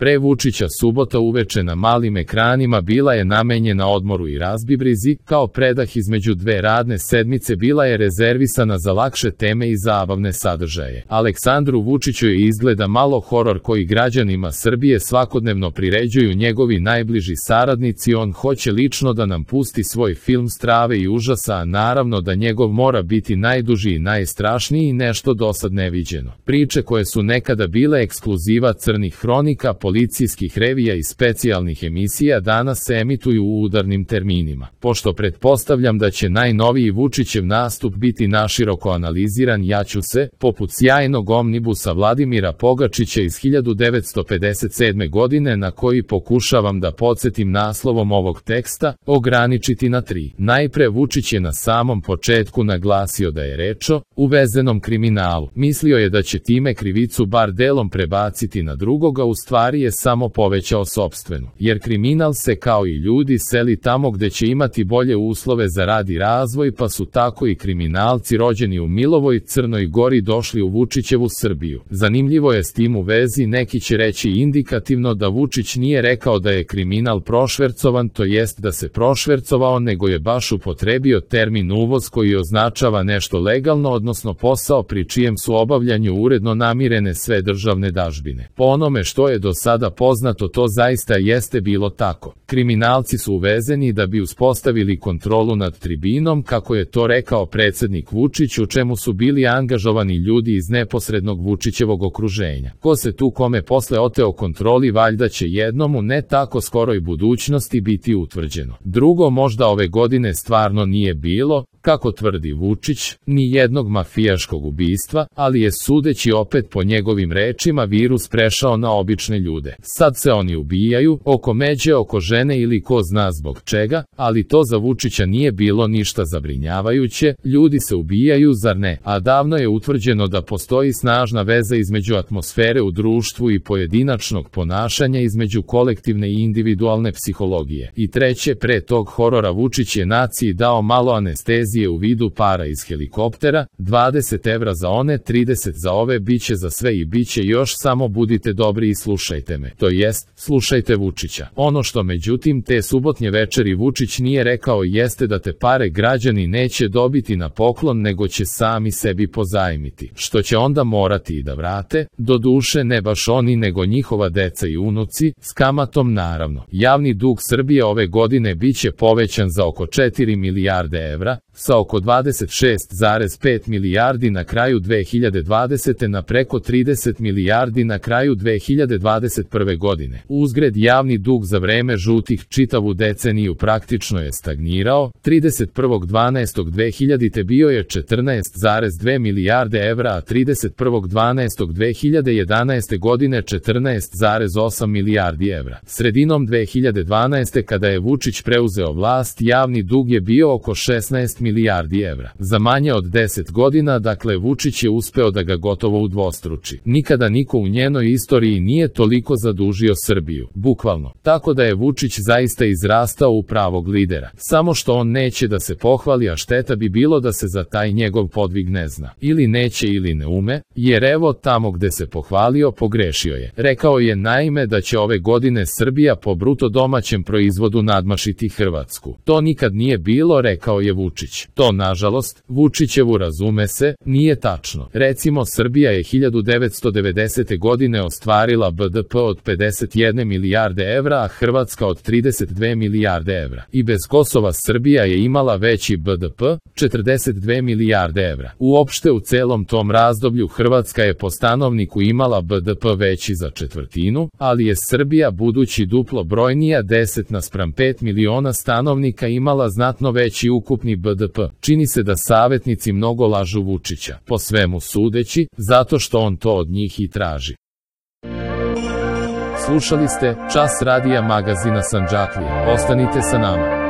Pre Vučića subota uveče na malim ekranima bila je namenjena odmoru i razbibrizi, kao predah između dve radne sedmice bila je rezervisana za lakše teme i zabavne sadržaje. Aleksandru Vučiću je izgleda malo horor koji građanima Srbije svakodnevno priređuju njegovi najbliži saradnici. On hoće lično da nam pusti svoj film strave i užasa, a naravno da njegov mora biti najduži i najstrašniji i nešto dosad neviđeno. Priče koje su nekada bile ekskluziva crnih hronika, policijskih revija i specijalnih emisija danas se emituju u udarnim terminima. Pošto pretpostavljam da će najnoviji Vučićev nastup biti naširoko analiziran, ja ću se, poput sjajnog omnibusa Vladimira Pogačića iz 1957. godine na koji pokušavam da podsjetim naslovom ovog teksta, ograničiti na 3. Najpre Vučić je na samom početku naglasio da je reč o uvezenom kriminalu. Mislio je da će time krivicu bar delom prebaciti na drugoga, u stvari je samo povećao sopstvenu. Jer kriminal se kao i ljudi seli tamo gde će imati bolje uslove za rad i razvoj, pa su tako i kriminalci rođeni u Milovoj Crnoj Gori došli u Vučićevu Srbiju. Zanimljivo je s tim u vezi, neki će reći indikativno da Vučić nije rekao da je kriminal prošvercovan, to jest da se prošvercovao, nego je baš upotrebio termin uvoz koji označava nešto legalno, odnosno posao pri čijem su obavljanju uredno namirene sve državne dažbine. Po onome što je do sada poznato, to zaista jeste bilo tako. Kriminalci su uvezeni da bi uspostavili kontrolu nad tribinom, kako je to rekao predsednik Vučić, u čemu su bili angažovani ljudi iz neposrednog Vučićevog okruženja. Ko se tu kome posle oteo kontroli, valjda će jednom u ne tako skoroj budućnosti biti utvrđeno. Drugo, možda ove godine stvarno nije bilo, kako tvrdi Vučić, ni jednog mafijaškog ubistva, ali je, sudeći opet po njegovim rečima, virus prešao na obične ljude. Sad se oni ubijaju, oko međe, oko žene ili ko zna zbog čega, ali to za Vučića nije bilo ništa zabrinjavajuće. Ljudi se ubijaju, zar ne? A davno je utvrđeno da postoji snažna veza između atmosfere u društvu i pojedinačnog ponašanja, između kolektivne i individualne psihologije. I treće, pre tog horora Vučić je naciji dao malo anestezije u vidu para iz helikoptera, 20 evra za one, 30 za ove, biće za sve i biće još, samo budite dobri i slušajte me. To jest, slušajte Vučića. Ono što međutim te subotnje večeri Vučić nije rekao jeste da te pare građani neće dobiti na poklon, nego će sami sebi pozajmiti, što će onda morati i da vrate, doduše ne baš oni nego njihova deca i unuci, s kamatom naravno. Javni dug Srbije ove godine biće povećan za oko 4 milijarde evra, sa oko 26,5 milijardi na kraju 2020. na preko 30 milijardi na kraju 2021. godine. Uzgred, javni dug za vreme žutih čitavu deceniju praktično je stagnirao, 31.12.2000. bio je 14,2 milijarde evra, a 31.12.2011. godine 14,8 milijardi evra. Sredinom 2012. kada je Vučić preuzeo vlast, javni dug je bio oko 16 milijardi evra. Za manje od 10 godina, dakle, Vučić je uspeo da ga gotovo udvostruči. Nikada niko u njenoj istoriji nije toliko zadužio Srbiju, bukvalno. Tako da je Vučić zaista izrastao u pravog lidera. Samo što on neće da se pohvali, a šteta bi bilo da se za taj njegov podvig ne zna. Ili neće ili ne ume, jer evo tamo gde se pohvalio, pogrešio je. Rekao je naime da će ove godine Srbija po bruto domaćem proizvodu nadmašiti Hrvatsku. To nikad nije bilo, rekao je Vučić. To, nažalost, Vučićevu, razume se, nije tačno. Recimo, Srbija je 1990. godine ostvarila BDP od 51 milijarde evra, a Hrvatska od 32 milijarde evra. I bez Kosova Srbija je imala veći BDP, 42 milijarde evra. Uopšte u celom tom razdoblju Hrvatska je po stanovniku imala BDP veći za četvrtinu, ali je Srbija, budući duplo brojnija, 10:5 miliona stanovnika, imala znatno veći ukupni BDP. Čini se da savetnici mnogo lažu Vučića, po svemu sudeći, zato što on to od njih i traži. Slušali ste Čas radija magazina Sandžaklija. Ostanite sa nama.